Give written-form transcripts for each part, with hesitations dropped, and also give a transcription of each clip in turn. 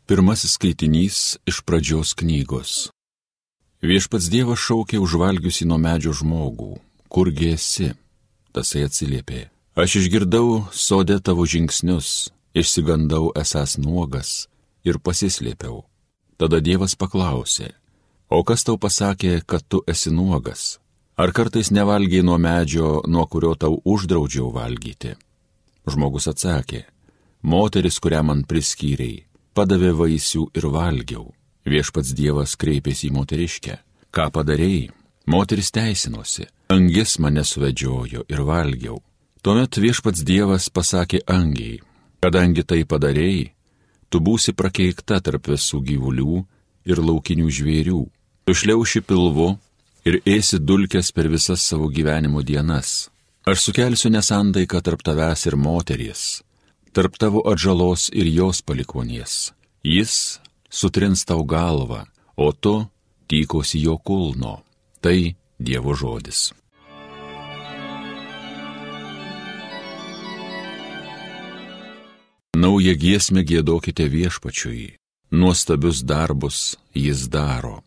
Pirmasis skaitinys iš Pradžios knygos. Viešpats Dievas šaukė užvalgiusi nuo medžio žmogų. Kurgi esi? Tasai atsiliepė. Aš išgirdau sode tavo žingsnius, išsigandau esąs nuogas ir pasislėpiau. Tada Dievas paklausė, o kas tau pasakė, kad tu esi nuogas? Ar kartais nevalgiai nuo medžio, nuo kurio tau uždraudžiau valgyti? Žmogus atsakė, moteris, kurią man priskyrei, padavė vaisių ir valgiau. Viešpats Dievas kreipėsi į moteriškę. Ką padarei? Moteris teisinosi. Angis mane suvedžiojo ir valgiau. Tuomet viešpats Dievas pasakė angiai, kadangi tai padarei, tu būsi prakeikta tarp visų gyvulių ir laukinių žvėrių. Tu šliauši pilvu ir ėsi dulkes per visas savo gyvenimo dienas. Aš sukelsiu nesantaiką tarp tavęs ir moteries, tarp tavo atžalos ir jos palikonies. Jis sutrins tau galvą, o tu tykosi jo kulno. Tai Dievo žodis. Naują giesmę giedokite viešpačiui, nuostabius darbus jis daro.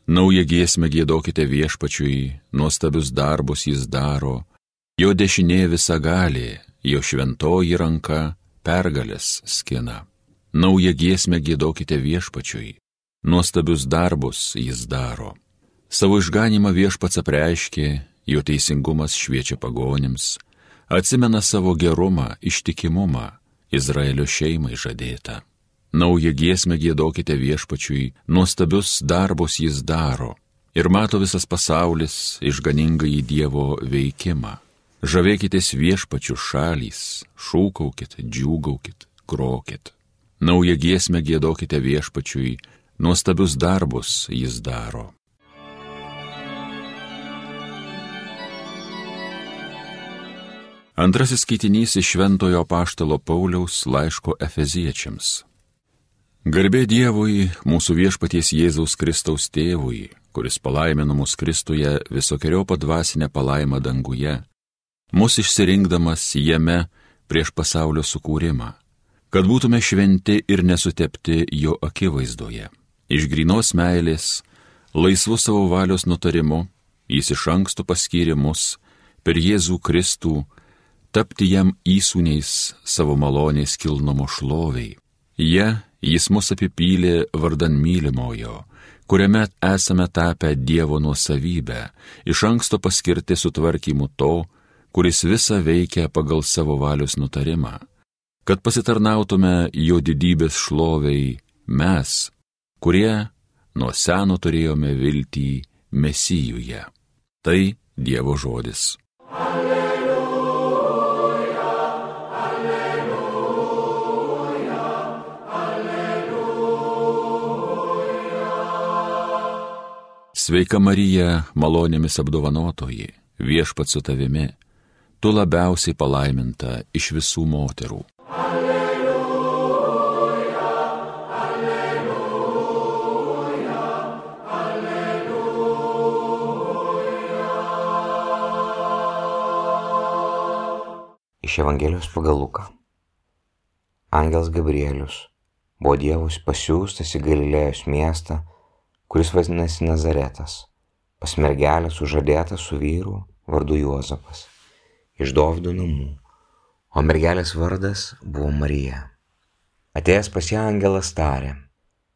Naują giesmę giedokite viešpačiui, nuostabius darbus jis daro. Jo dešinė visagalė, jo šventoji ranka pergalės skina. Naują giesmę giedokite viešpačiui, nuostabius darbus jis daro. Savo išganymą viešpats apreiškė, jo teisingumas šviečia pagonims, atsimena savo gerumą, ištikimumą, Izraelio šeimai žadėtą. Naują giesmę giedokite viešpačiui, nuostabius darbus jis daro, ir mato visas pasaulis išganingąjį Dievo veikimą. Žavėkitės viešpačių šalys, šūkaukit, džiūgaukit, grokit. Naują giesmę giedokite viešpačiui, nuostabius darbus jis daro. Antrasis skaitinys iš Šventojo apaštalo Pauliaus laiško Efeziečiams. Garbė Dievui, mūsų viešpaties Jėzaus Kristaus tėvui, kuris palaimino mus Kristuje visokeriopą dvasinę palaimą danguje, mus išsirinkdamas jame prieš pasaulio sukūrimą, kad būtume šventi ir nesutepti jo akivaizdoje. Iš grynos meilės, laisvu savo valios nutarimu, jis iš anksto paskyrė mus per Jėzų Kristų tapti jam įsūniais savo malonės kilnumo šloviai. Jis mus apipylė vardan mylimojo, kuriame esame tapę Dievo nuosavybę, iš anksto paskirti sutvarkymu to, kuris visą veikia pagal savo valios nutarimą, kad pasitarnautume jo didybės šloviai mes, kurie nuo seno turėjome viltį Mesijuje. Tai Dievo žodis. Sveika Marija, malonėmis apdovanotoji, viešpats su tavimi, tu labiausiai palaiminta iš visų moterų. Alleluja, alleluja, alleluja. Iš Evangelijos pagal Luką. Angelas Gabrielius buvo Dievus pasiųstas į Galilėjos miestą, kuris vadinasi Nazaretas, pas mergelę sužadėtą su vyru vardu Juozapas, iš Dovydo namų, o mergelės vardas buvo Marija. Atėjęs pas ją angelas tarė,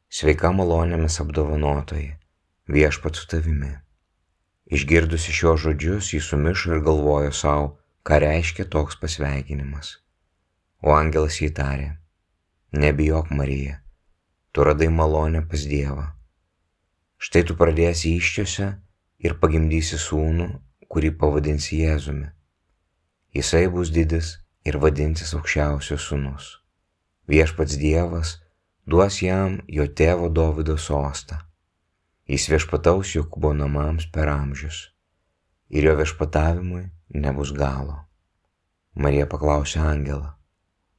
sveika malonėmis apdovanotoji, viešpats su tavimi. Išgirdusi šios žodžius, jį sumišo ir galvojo savo, ką reiškia toks pasveikinimas. O angelas jai tarė, nebijok Marija, tu radai malonę pas Dievą. Štai tu pradėsi įsčiose ir pagimdysi sūnų, kurį pavadinsi Jėzumi. Jisai bus didis ir vadinsis aukščiausio sūnus. Viešpats Dievas duos jam jo tėvo Dovydo sostą. Jis viešpataus Jokūbo namams per amžius, ir jo viešpatavimui nebus galo. Marija paklausė angelą,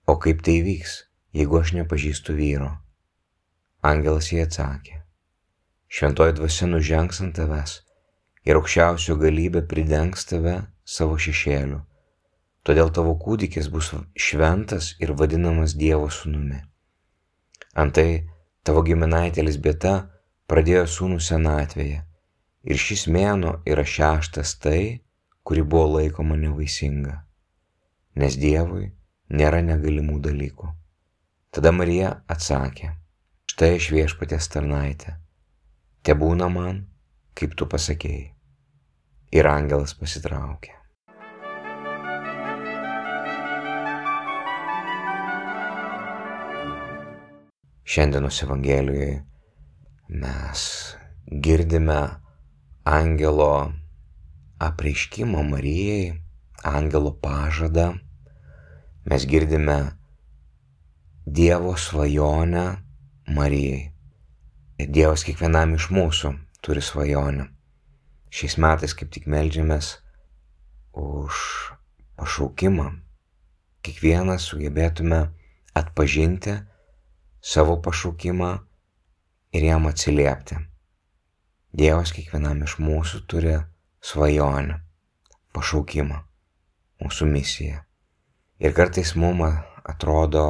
o kaip tai vyks, jeigu aš nepažįstu vyro? Angelas jai atsakė, šventoji dvasia nužengs ant tavęs ir aukščiausio galybė pridengs tave savo šešėliu. Todėl tavo kūdikis bus šventas ir vadinamas Dievo sūnumi. Antai Tavo giminaitė Elzbieta pradėjo sūnų senatvėje ir šis mėnuo yra 6 tai, kuri buvo laikoma nevaisinga, nes Dievui nėra negalimų dalykų. Tada Marija atsakė, štai aš Viešpaties tarnaitė, tebūna man, kaip tu pasakėjai. Ir angelas pasitraukė. Šiandienos Evangelijoje mes girdime angelo apreiškimą Marijai, angelo pažadą. Mes girdime Dievo svajonę Marijai. Dievas kiekvienam iš mūsų turi svajonę. Šiais metais kaip tik meldžiamės už pašaukimą. Kiekvienas sugebėtume atpažinti savo pašaukimą ir jam atsiliepti. Dievas kiekvienam iš mūsų turi svajonę, pašaukimą, mūsų misiją. Ir kartais mums atrodo,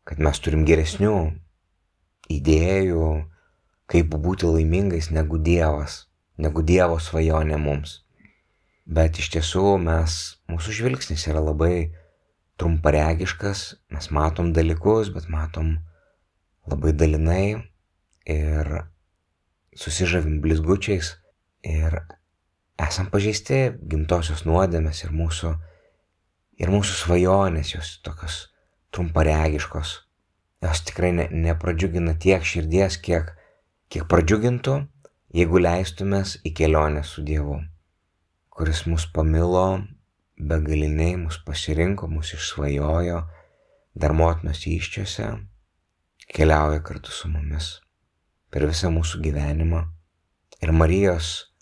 kad mes turim geresnių idėjų, kaip būti laimingais negu Dievas, negu Dievo svajonė mums. Bet iš tiesų mūsų žvilgsnis yra labai trumparegiškas, mes matom dalykus, bet matom labai dalinai ir susižavim blizgučiais ir esam pažeisti gimtosios nuodėmės ir mūsų svajonės, jos tokios trumparegiškos. Jos tikrai nepradžiugina tiek širdies, kiek pradžiugintų, jeigu leistumės į kelionę su Dievu, kuris mus pamilo begaliniai, mus pasirinko, mus išsvajojo, dar motinos įsčiose, keliauja kartu su mumis per visą mūsų gyvenimą. Ir Marijos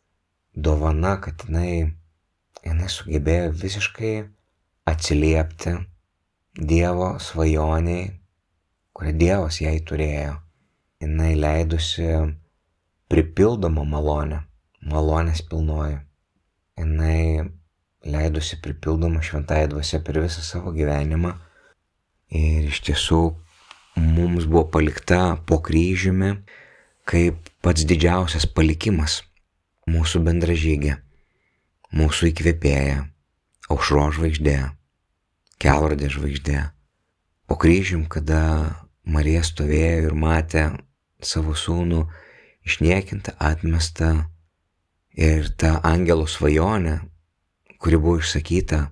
dovana, kad jinai sugebėjo visiškai atsiliepti Dievo svajoniai, kurią Dievas jai turėjo. Jinai leidusi pripildomą malonę, malonės pilnoji. Jinai leidusi pripildomą šventąją dvasią per visą savo gyvenimą. Ir iš tiesų mums buvo palikta po kryžiumi kaip pats didžiausias palikimas, mūsų bendražygė, mūsų įkvėpėja, aušros žvaigždė, kelrodė žvaigždė. Po kryžium, kada Marija stovėjo ir matė savo sūnų išniekintą, atmestą ir tą angelo svajonę, kuri buvo išsakyta,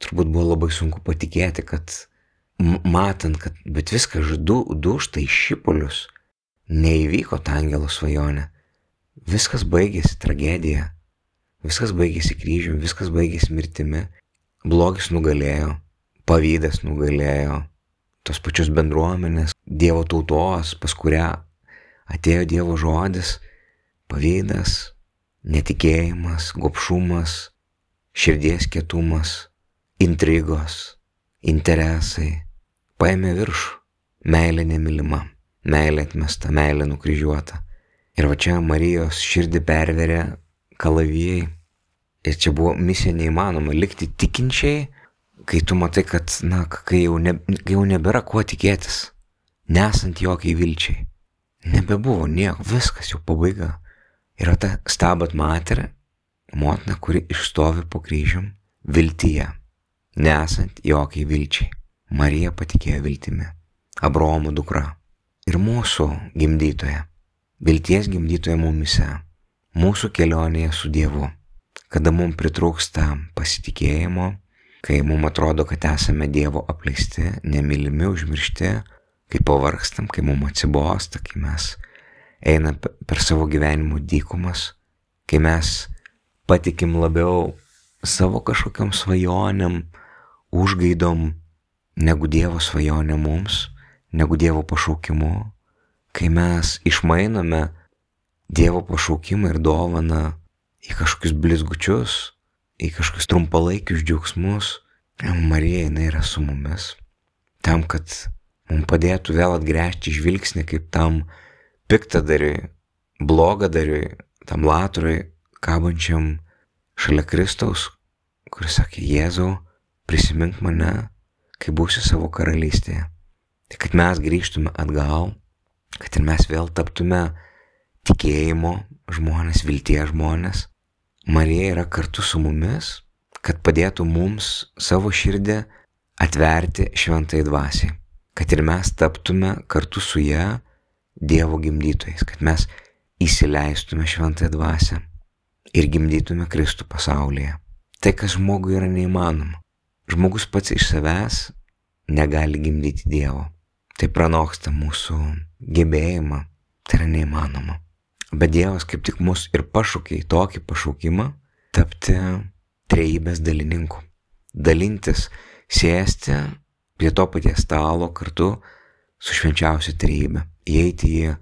turbūt buvo labai sunku patikėti, kad matant, kad bet viskas dūžta į šipulius, neįvyko ta angelo svajonė. Viskas baigėsi tragedija, viskas baigėsi kryžiumi, viskas baigėsi mirtimi, blogis nugalėjo, pavydas nugalėjo, tos pačios bendruomenės, Dievo tautos, pas kurią atėjo Dievo žodis, pavydas, netikėjimas, gobšumas, širdies kietumas, intrigos, interesai, paėmė viršų, meilė nemylima, meilė atmesta, meilė nukryžiuota. Ir va čia Marijos širdį perverė kalavijai. Ir čia buvo misija neįmanoma likti tikinčiai, kai tu matai, kad, kai jau nebėra kuo tikėtis, nesant jokiai vilčiai. Nebebuvo nieko, viskas jau pabaiga. Yra ta Stabat Mater, motina, kuri išstovi po kryžium viltyje, nesant jokiai vilčiai. Marija patikėjo viltimi, Abraomo dukra ir mūsų gimdytoja, vilties gimdytoja mumise, mūsų kelionėje su Dievu, kada mums pritrūksta pasitikėjimo, kai mums atrodo, kad esame Dievo apleisti, nemylimi, užmiršti, kai pavargstam, kai mums atsibosta, kai mes einam per savo gyvenimo dykumas, kai mes patikim labiau savo kažkokiam svajonėm, užgaidom, negu Dievo svajonė mums, negu Dievo pašaukimu, kai mes išmainome Dievo pašaukimą ir dovaną į kažkokius blizgučius, į kažkokius trumpalaikius džiaugsmus. Marija, jinai yra su mumis, tam, kad mums padėtų vėl atgręžti žvilgsnį kaip tam piktadariui, blogadariui, tam latrui, kabančiam šalia Kristaus, kuris sakė, Jėzau, prisimink mane, kai būsi savo karalystėje. Tai kad mes grįžtume atgal, kad ir mes vėl taptume tikėjimo žmonės, vilties žmonės. Marija yra kartu su mumis, kad padėtų mums savo širdį atverti šventai dvasiai. Kad ir mes taptume kartu su ja Dievo gimdytojais, kad mes įsileistume šventąją dvasią ir gimdytume Kristų pasaulyje. Tai, kas žmogui yra neįmanoma. Žmogus pats iš savęs negali gimdyti Dievo. Tai pranoksta mūsų gebėjimą, tai yra neįmanoma. Bet Dievas kaip tik mus ir pašaukė į tokį pašaukimą tapti trejybės dalininku. Dalintis, sėsti prie to paties stalo kartu su švenčiausia trejybė. Įeiti į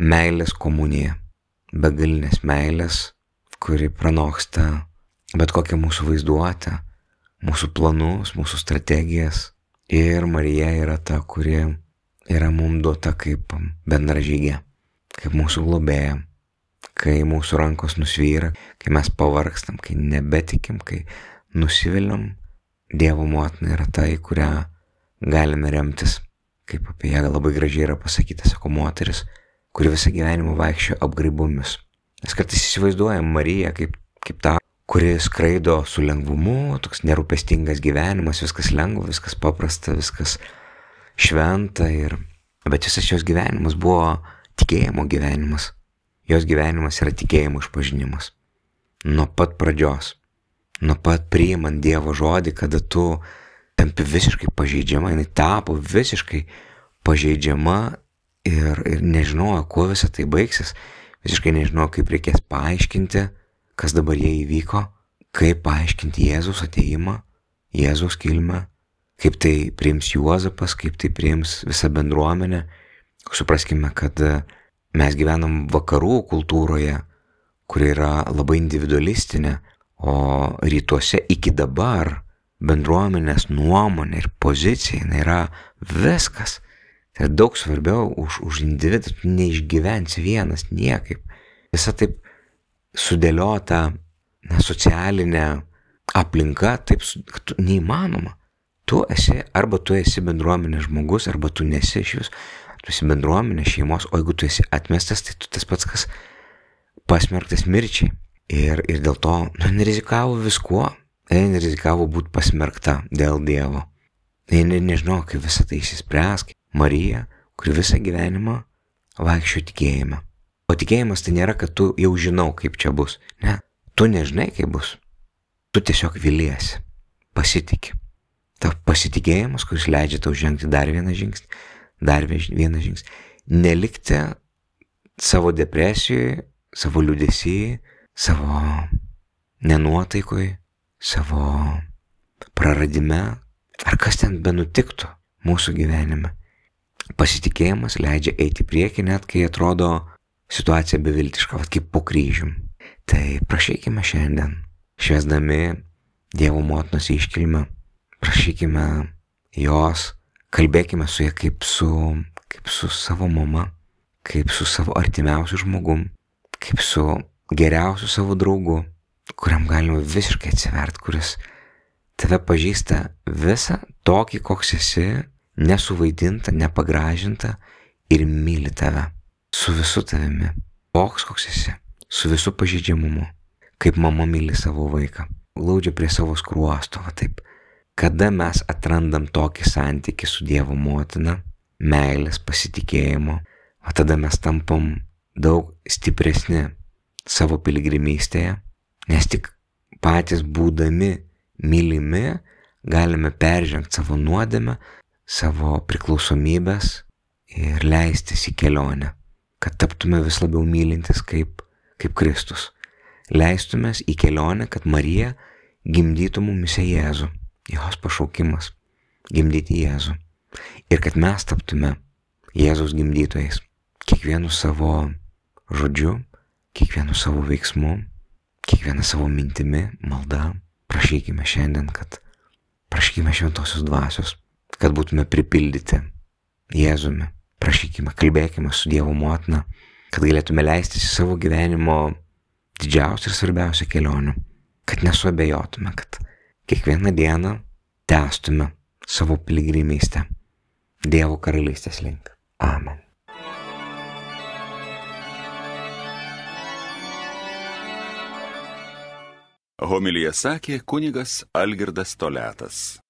meilės komuniją, begalinės meilės, kuri pranoksta bet kokią mūsų vaizduotę, mūsų planus, mūsų strategijas. Ir Marija yra ta, kuri yra mums duota kaip bendražygė, kaip mūsų globėja, kai mūsų rankos nusvyra, kai mes pavargstam, kai nebetikim, kai nusiviliam. Dievo motina yra ta, į kurią galime remtis. Kaip apie ją labai gražiai yra pasakyta, sako moteris, kuri visą gyvenimą vaikščiojo apgraibomis. Mes kartais įsivaizduojam Mariją kaip tą, kuri skraido su lengvumu, toks nerūpestingas gyvenimas, viskas lengva, viskas paprasta, viskas šventa. Bet visas jos gyvenimas buvo tikėjimo gyvenimas. Jos gyvenimas yra tikėjimo išpažinimas. Nuo pat pradžios, nuo pat priimant Dievo žodį, kada tu tampi visiškai pažeidžiama, jinai tapo visiškai pažeidžiama ir nežinojo, kuo visą tai baigsis, visiškai nežinojo, kaip reikės paaiškinti, kas dabar jai įvyko, kaip paaiškinti Jėzaus atėjimą, Jėzaus kilmę, kaip tai priims Juozapas, kaip tai priims visa bendruomenė. Supraskime, kad mes gyvenam vakarų kultūroje, kuri yra labai individualistinė, o rytuose iki dabar bendruomenės nuomonė ir pozicija yra viskas. Tai daug svarbiau už individą, tu neišgyvensi vienas niekaip. Visa taip sudėliota socialinė aplinka, taip, kad tu neįmanoma. Arba tu esi bendruomenės žmogus, arba tu nesi iš vis. Tu esi bendruomenės šeimos, o jeigu tu esi atmestas, tai tu tas pats, kas pasmerktas mirčiai. Ir dėl to nerizikavo viskuo. Jie rizikavo būti pasmerkta dėl Dievo. Jie nežinau, kaip visą tai išsispręs. Marija, kuri visą gyvenimą vaikščiojo tikėjime. O tikėjimas tai nėra, kad tu jau žinau, kaip čia bus. Ne, tu nežinai, kaip bus. Tu tiesiog viliesi, pasitiki. Ta pasitikėjimas, kuris leidžia tau žengti dar vieną žingsnį. Nelikti savo depresijoje, savo liūdesy, savo nenuotaikoje, savo praradime, ar kas ten benutiktų mūsų gyvenime. Pasitikėjimas leidžia eiti į priekį, net kai atrodo situacija beviltiška, kaip po kryžium. Tai prašykime šiandien, švęsdami Dievo motinos iškilmę, prašykime jos, kalbėkime su ja kaip su savo mama, kaip su savo artimiausiu žmogum, kaip su geriausiu savo draugu, kuriam galima visiškai atsiverti, kuris tave pažįsta visą tokį, koks esi, nesuvaidinta, nepagražinta ir myli tave su visu tavimi, koks esi, su visu pažeidžiamumu, kaip mama myli savo vaiką, glaudžia prie savo skruosto, taip. Kada mes atrandam tokį santykį su Dievo motina, meilės, pasitikėjimo, tada mes tampam daug stipresni savo piligrimystėje, nes tik patys būdami mylimi galime peržengti savo nuodėmę, savo priklausomybės ir leistis į kelionę, kad taptume vis labiau mylintis kaip Kristus. Leistumės į kelionę, kad Marija gimdytų mumise Jėzų, jos pašaukimas gimdyti Jėzų. Ir kad mes taptume Jėzaus gimdytojais, kiekvienu savo žodžiu, kiekvienu savo veiksmu, kiekviena savo mintimi, malda. Prašykime šiandien, prašykime šventosios dvasios, kad būtume pripildyti Jėzumi. Prašykime, kalbėkime su Dievo motina, kad galėtume leistis į savo gyvenimo didžiausią ir svarbiausią kelionę, kad nesuabejotume, kad kiekvieną dieną tęstume savo piligrimystę Dievo karalystės link. Amen. Homiliją sakė kunigas Algirdas Toliatas.